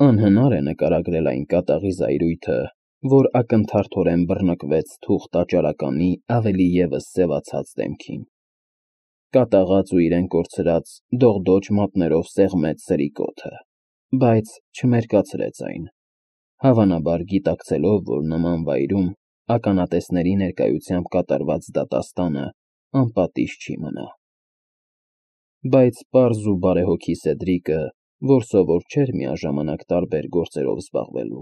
Անհնար է նկարագրել այն կատաղի զայրույթը, որ ակնթարթորեն բռնկվեց թուղթ տաճարականի ավելի ևս սևացած դեմքին. կատաղած ու իրեն կորցրած դողդոջ մատներով սեղմեց սրի կոթը, բայց չմերկացրեց այն, հավանաբար գիտակցելով, որ նման վայրում ականատեսների ներկայությամբ կատարված դատաստանը անպատիժ չի մնա։ Բայց պարզ ու բարեհոգի Սեդրիկը, որ սովոր չէր միաժամանակ տարբեր գործերով զբաղվելու,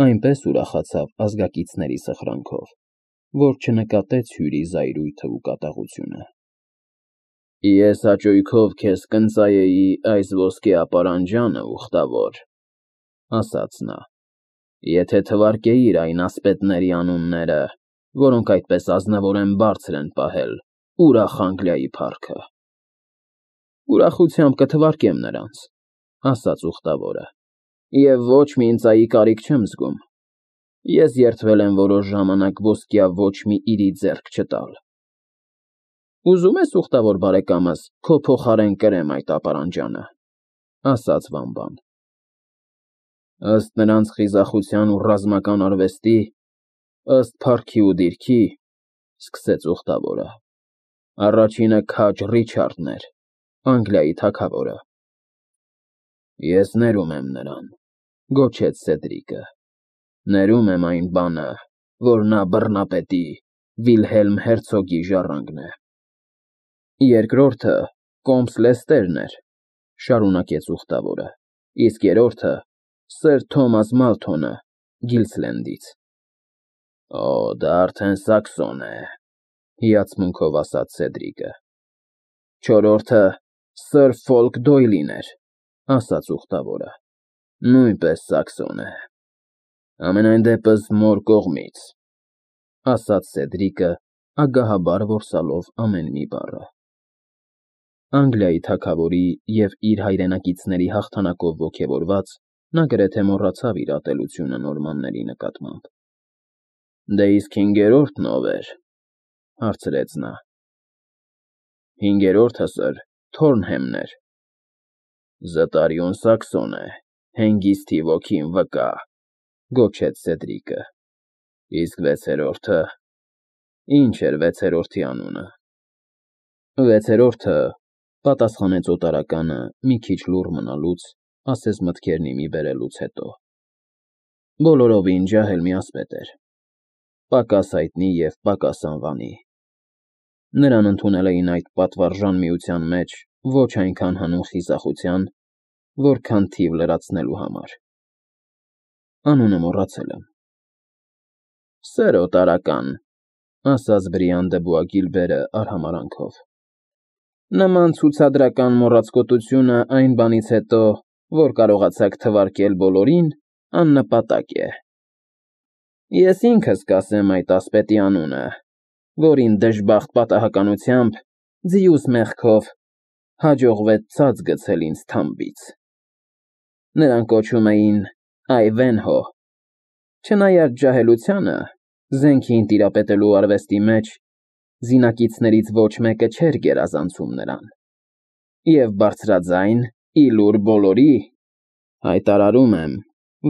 այնպես ուրախացավ ազգակիցների սխրանքով, որ չնկատեց հյուրի զայրույթն ու կատաղությունը։ «Ես հաճույքով քեզ կընծայեի այս ոսկե ապարանջանը, ուխտավոր,» ասաց նա, «եթե թվարկեիր այն ասպետների անունները, որոնք այդպես ազնվորեն բարձր են պահել ուրախ Անգլիայի փառքը»։ «Ուրախությամբ կթվարկեմ նրանց,» ասաց ուխտավորը, «և ոչ մի ընծայի կարիք չեմ զգում։ Ես երդվել եմ որոշ ժամանակ ոսկյա ոչ մի իրի ձեռք չտալ»։ «Ուզում ես, ուխտավոր բարեկամս, քո փոխարեն կրեմ այդ ապարանջանը,» ասաց Վամբան։ «Ըստ նրանց խիզախության ու ռազմական արվեստի, ըստ փառքի ու դիրքի,» սկսեց ուխտավորը, «առաջինը քաջ Ռիչարդն էր, Անգլիայի թագավորը»։ «Ես ներում եմ նրան,» գոչեց Սեդրիկը, «ներում եմ այն բանը, որ նա բռնապետի Վիլհելմ հերցոգի ժառանգն է»։ «Երկրորդը կոմս Լեստերն էր,» շարունակեց ուխտավորը, «իսկ երրորդը սըր Թոմաս Մալթոնը Գիլսլենդից»։ «Օ, դա արդեն սաքսոն է,» հիացմունքով ասաց Սեդրիկը։ «Չորրորդը սըր Ֆոլք Դոյլին էր,» ասաց ուխտավորը, «նույնպես սաքսոն է։ Համենայն դեպս մոր կողմից,» ասաց Սեդրիկը, ագահաբար որսալով ամեն մի բառը։ Անգլիայի թագավորի և իր հայրենակիցների հաղթանակով ոգևորված, նա գրեթե մոռացավ իր ատելությունը նորմանների նկատմամբ։ «Դե իսկ հինգերորդն ով էր,» հարցրեց նա։ «Հինգերորդը սըր Թորնհեմն էր»։ «Զտարյուն սաքսոն է, հենգիսթի ոգին վկա,» գոչեց Սեդրիկը։ «Իսկ վեցերորդը, ի՞նչ էր վեցերորդի անունը»։ «Վեցերորդը,» պատասխանեց օտարականը մի քիչ լուռ մնալուց, ասես մտքերն ի մի բերելուց հետո, «բոլորովին ջահել մի ասպետ էր, պակաս հայտնի և պակաս անվանի։ Նրան ընդունել էին այդ պատվարժան միության մեջ ոչ այնքան հանուն խիզախության, որքան թիվ լրացնելու համար։ Անունը մոռացել եմ»։ «Սեր օտարական,» ասաց Բրիան դը Բուագիլբերը արհամարհանքով, «նման ցուցադրական մոռացկոտությունը այն բանից հետո, որ կարողացաք թվարկել բոլորին, աննպատակ է։ Ես ինքս կասեմ այդ ասպետի անունը, որին դժբախտ պատահականությամբ, ձիուս մեղքով, հաջողվեց ցած գցել ինձ թամբից։ Նրան կոչում էին Այվենհո։ Չնայած ջահելությանը, զենքին տիրապետելու արվեստի մեջ զինակիցներից ոչ մեկը չէր գերազանցում նրան, և բարձրաձայն, ի լուր բոլորի, հայտարարում եմ,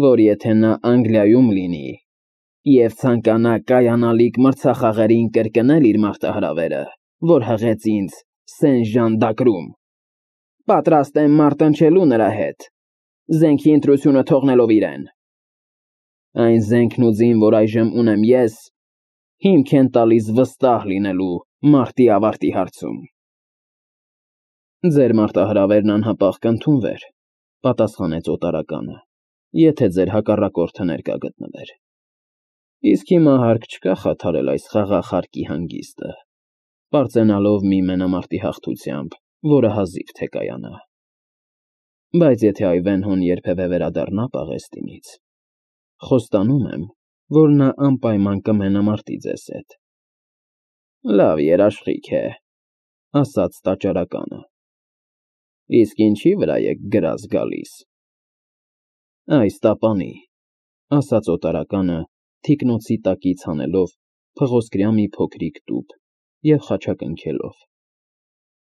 որ եթե նա Անգլիայում լինի և ցանկանա կայանալիք մրցախաղերին կրկնել իր մարտահրավերը, որ հղեց ինձ Սեն Ժան պատրաստ եմ մարտնչելու նրա հետ, զենքի ընտրությունը թողնելով իրեն։ Այն զենքն ու ձին, որ այժմ ունեմ ես, հիմք են տալիս վստահ լինելու մարտի ավարտի հարցում»։ «Ձեր մարտահրավերն անհապաղ կընդունվեր,» պատասխանեց օտարականը, «եթե ձեր հակառակորդը ներկա գտնվեր։ Իսկ հիմա հարկ չկա խաթարել այս խաղաղ հարկի հանգիստը, պարծենալով մի մենամարտի հաղթությամբ, որը հազիվ թե կայանա։ Բայց եթե Այվենհոն երբևէ վերադառնա Պաղեստինից, խոստանում եմ, որ նա անպայման կմենամարտի ձեզ հետ»։ «Լավ երաշխիք է,» ասաց տաճարականը, «իսկ ինչի վրա եք գրազ գալիս»։ «Այս տապանի,» ասաց օտարականը, թիկնոցի տակից հանելով փղոսկրյա մի փոքրիկ տուփ և խաչակնքելով,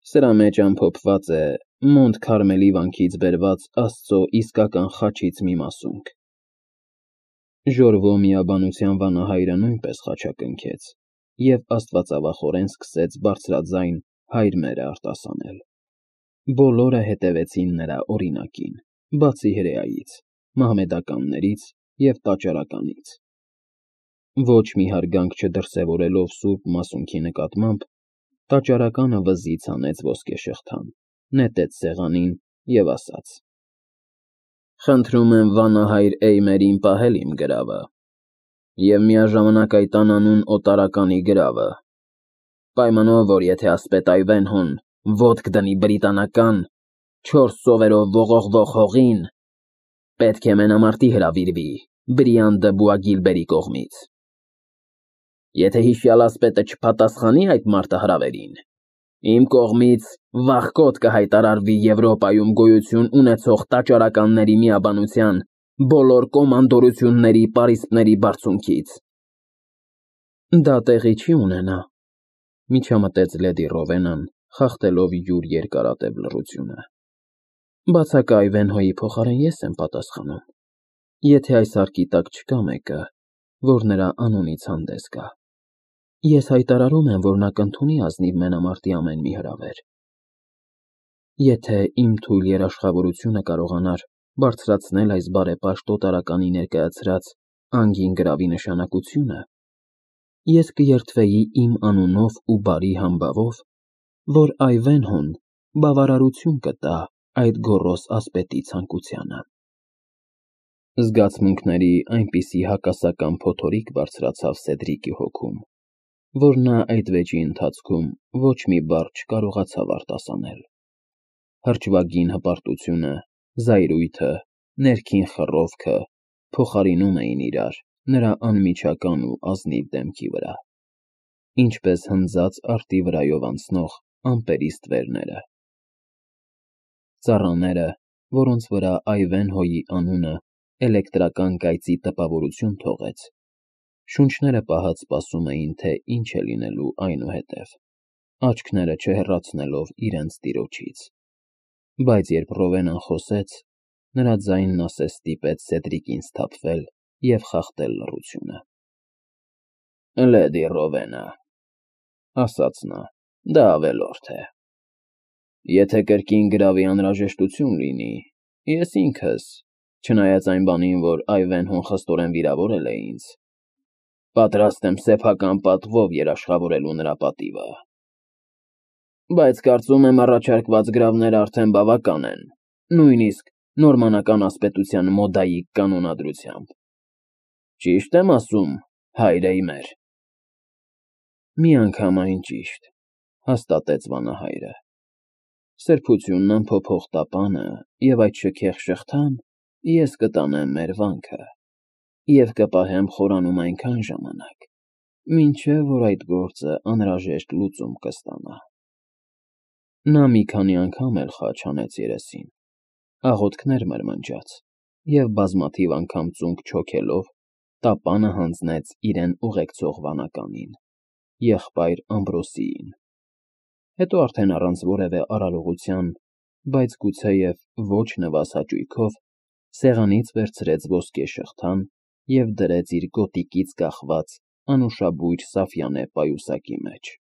«սրա մեջ ամփոփված է Մոնտ Քարմելի վանքից բերված Աստծո իսկական խաչից մի մասունք։ Ժորվո միաբանության վանահայրը նույնպես խաչակնքեց և աստվածավախորեն սկսեց բարձրաձայն «Հայր մերը» արտասանել։ Բոլորը հետևեցին նրա օրինակին, բացի հրեայից, մահմեդականներից և տաճարականից։ Ոչ մի հարգանք չդրսևորելով սուրբ մասունքի նկատմամբ, տաճարականը վզից հանեց ոսկեշղթան, նետեց սեղանին և ասաց. «Խնդրում եմ վանահայր Էյմերին պահել իմ գրավը և միաժամանակ այդ անանուն օտարականի գրավը, պայմանով, որ եթե ասպետ Այվենհոն ոտք դնի բրիտանական 4 ծովերով ողողվող հողին, պետք է մենամարտի հրավիրվի Բրիան դը Բուագիլբերի կողմից։ Եթե հիշյալ ասպետը չպատասխանի այդ մարտահրավերին, իմ կողմից վախկոտ կհայտարարվի Եվրոպայում գոյություն ունեցող տաճարականների միաբանության բոլոր կոմանդորությունների պարիսպների բարձունքից»։ Դա տեղի չի ունենա, միջամտեց լեդի Ռովենան, խախտելով յուր երկարատև լռությունը։ Բացակա Այվենհոյի փոխարեն ես եմ պատասխանում, եթե այս հարկի տակ չկա մեկը, որ նրա անունից հանդես գա։ Ես հայտարարում եմ, որ նա կընդունի ազնիվ մենամարտի ամեն մի հրավեր։ Եթե իմ թույլ երաշխավորությունը կարողանար բարձրացնել այս բարեպաշտ օտարականի ներկայացրած անգին գրավի նշանակությունը, ես կերդվեի իմ անունով ու բարի համբավով, որ Այվենհոն բավարարություն կտա այդ գոռոզ ասպետի ցանկությանը։ Զգացմունքների այնպիսի հակասական փոթորիկ բարձրացավ Սեդրիկի հոգում, որ նա այդ վեճի ընթացքում ոչ մի բառ չկարողացավ արտասանել։ Հրճվագին հպարտությունը, զայրույթը, ներքին խռովքը փոխարինում էին իրար նրա անմիջական ու ազնիվ դեմքի վրա, ինչպես հնձած արտի վրայով անցնող ամպերի ստվերները։ Ծառաները, որոնց վրա Այվենհոյի անունը էլեկտրական կայծի տպավորություն թողեց, շունչները պահած սպասում էին, թե ինչ է լինելու այնուհետև, աչքները չհեռացնելով իրենց տիրոջից։ Բայց երբ Ռովենան խոսեց, նրա ձայնն ասես ստիպեց Սեդրիկին սթափվել և խախտել լռությունը։ «Լեդի Ռովենա», ասաց նա, դա ավելորդ է։ Եթե կրկին գրավի անհրաժեշտություն լինի, ես ինքս, չնայած այն բանին, որ Այվենհոն խստորեն վիրավորել է ինձ, պատրաստ եմ սեփական պատվով երաշխավորելու նրա պատիվը։ Բայց կարծում եմ առաջարկված գրավները արդեն բավական են, նույնիսկ նորմանական ասպետության մոդայիկ կանոնադրությամբ։ Ճի՞շտ եմ ասում, հայր Էյմեր։ Միանգամայն ճիշտ, հաստատեց վանահայրը։ Սրբությունն անփոփոխ տապանը և այդ շքեղ շղթան ես կտանեմ մեր վանքը և կպահեմ խորանում այնքան ժամանակ, մինչև որ այդ գործը անհրաժեշտ լուծում կստանա։ Նա մի քանի անգամ էլ խաչ հանեց երեսին, աղոթքներ մրմնջաց և բազմաթիվ անգամ ծունկ չոքելով տապանը հանձնեց իրեն ուղեկցող վանականին, եղբայր Ամբրոսիին։ Հետո արդեն առանց որևէ արարողության, բայց գուցեև ոչ նվազ հաճույքով, սեղանից վերցրեց ոսկե շղթան և դրեց իր գոտիկից կախված անուշաբույր սաֆյանե պայուսակի մեջ։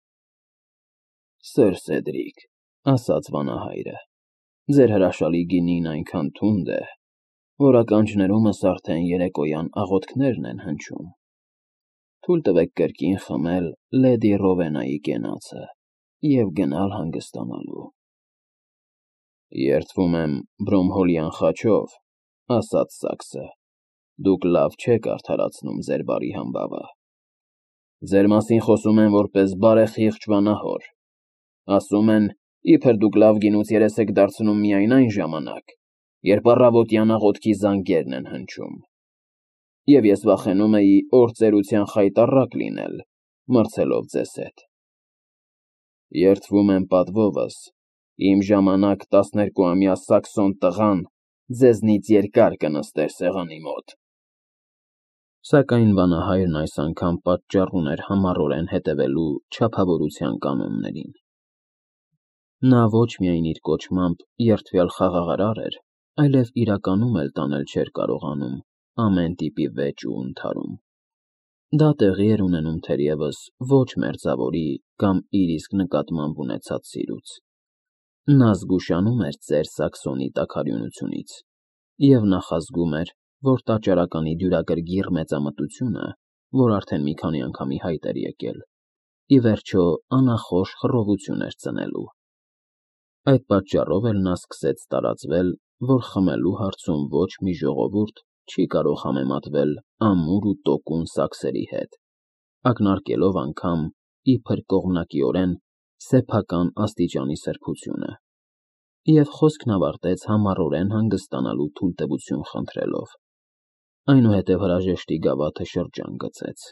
Սըր Սեդրիկ, ասաց վանահայրը, ձեր հրաշալի գինին այնքան թունդ է, որ ականջներումս արդեն երեկոյան աղոթքներն են հնչում։ Թույլ տվեք կրկին խմել լեդի Ռովենայի կենացը և գնալ հանգստանալու։ Երդվում եմ Բրոմհոլյան խաչով, ասաց Սակսը, դուք լավ չեք արդարացնում ձեր բարի համբավը։ Ձեր մասին խոսում են որպես բարեխիղճ վանահոր, ասում են, իբր դուք լավ գինուց երես եք դարձնում միայն այն ժամանակ, երբ առավոտյան աղոթքի զանգերն են հնչում։ Եվ ես վախենում էի օր ծերության խայտառակ լինել, մրցելով ձեզ հետ։ Երդվում եմ պատվովս, իմ ժամանակ 12-ամյա Սաքսոն տղան ձեզնից երկար կնստեր սեղանի մոտ։ Սակայն վանահայրն այս անգամ պատճառ ուներ համառորեն հետևելու չափավորության կանոններին։ Նա ոչ միայն իր կոչմամբ երդվյալ խաղաղարար էր, այլև իրականում էլ տանել չէր կարողանում ամեն տիպի վեճ ու ընդհարում։ Դա տեղի էր ունենում թերևս ոչ մերձավորի կամ իր իսկ նկատմամբ ունեցած սիրուց։ Նա զգուշանում էր ծեր Սաքսոնի տաքարյունությունից և նախազգում էր, որ տաճարականի դյուրագրգիռ մեծամտությունը, որ արդեն մի քանի անգամի հայտ էր եկել, ի վերջո անախորժ խռովություն էր ծնելու։ Այդ պատճառով էլ նա սկսեց տարածվել, որ խմելու հարցում ոչ մի ժողովուրդ չի կարող համեմատվել ամուր ու տոկուն սաքսերի հետ, ակնարկելով անգամ, իբր կողմնակիորեն, սեփական աստիճանի սրբությունը, և խոսքն ավարտեց համառորեն հանգստանալու թույլտվություն խնդրելով, այնուհետև հրաժեշտի գավաթը շրջան գցեց։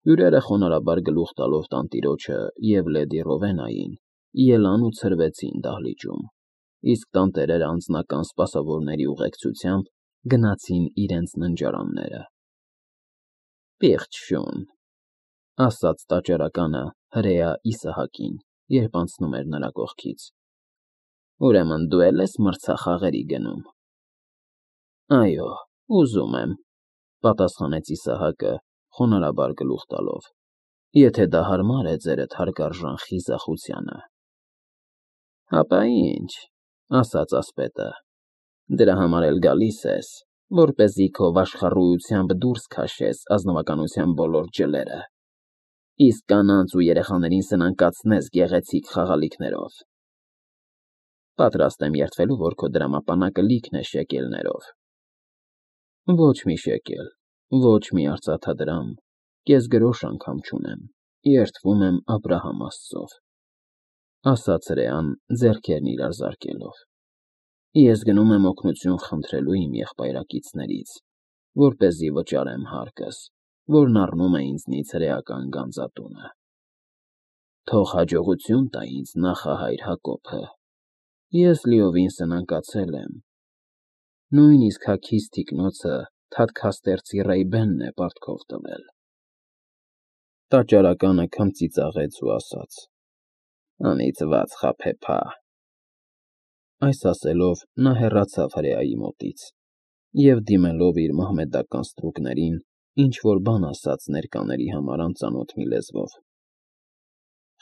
Հյուրերը խոնարհաբար գլուխ տալով տանտիրոջը և լեդի Ռովենային ելան ու ցրվեցին դահլիճում, իսկ տանտերերը անձնական սպասավորների ուղեկցությամբ գնացին իրենց ննջարանները։ «Պիղծ շուն», ասաց տաճարականը հրեա Իսահակին, երբ անցնում էր նրա կողքից։ «Ուրեմն դու էլ ես մրցախաղերի գնում»։ «Այո, ուզում եմ», պատասխանեց Իսահակը, խոնարհաբար գլուխ տալով, «եթե դա հարմար է ձերդ հարգարժան խիզախությանը»։ «Հապա ինչ», ասաց ասպետը, «դրա համար էլ գալիս ես, որպեսզի քո վաշխառույությամբ դուրս քաշես ազնվականության բոլոր ջլերը, իսկ կանանց ու երեխաներին սնանկացնես գեղեցիկ խաղալիքներով։ Պատրաստ եմ երդվելու, որ քո դրամապանակը լիքն է շեկելներով»։ «Ոչ մի շեկել, ոչ մի արծաթադրամ, կեսգրոշ անգամ չունեմ, երդվում եմ Աբրահամ Աստծով», ասաց հրեան, ձեռքերն իրար զարկելով։ «Ես գնում եմ օգնություն խնդրելու իմ եղբայրակիցներից, որպեսզի վճարեմ հարկս, որն առնում է ինձնից հրեական գանձատունը։ Թող հաջողություն տա ինձ նախահայր Հակոբը։ Ես լիովին սնանկացել եմ, նույնիսկ հագիստ թիկնոցը թադքաստերցի Ռեյբենն է պարտքով տվել»։ Տաճարականը քմծիծաղեց ու ասաց. «Անիծված խաբեբա»։ Այս ասելով նա հեռացավ հրեայի մոտից և, դիմելով իր մահմեդական ստրուկներին, ինչ֊որ բան ասաց ներկաների համար անծանոթ մի լեզվով։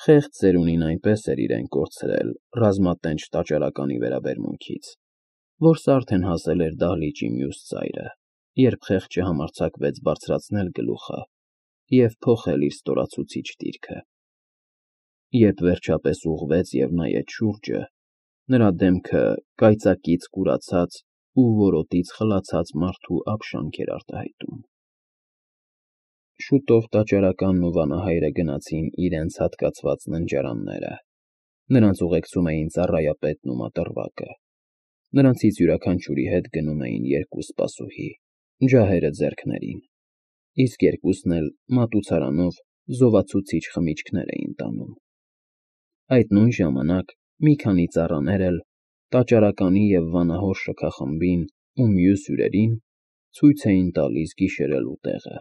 Խեղճ ծերունին այնպես էր իրեն կորցրել ռազմատենչ տաճարականի վերաբերմունքից, որ սա արդեն հասել էր դահլիճի մյուս ծայրը, երբ խեղճը համարձակվեց բարձրացնել գլուխը և փոխել իր ստորացուցիչ դիրքը։ Երբ վերջապես ուղղվեց և նայեց շուրջը, նրա դեմքը կայծակից կուրացած ու որոտից խլացած մարդու ապշանք էր արտահայտում։ Շուտով տաճարականն ու վանահայրը գնացին իրենց հատկացված ննջարանները։ Նրանց ուղեկցում էին ծառայապետն ու մատռվակը։ Նրանցից յուրաքանչյուրի հետ գնում էին երկու սպասուհի, ջահերը ձեռքներին, իսկ երկուսն էլ մատուցարանով զովացուցիչ խմիչքներ էին տանում։ Այդ նույն ժամանակ մի քանի ծառաներ էլ տաճարականի և վանահոր շքախմբին ու մյուս հյուրերին ցույց էին տալիս գիշերելու տեղը։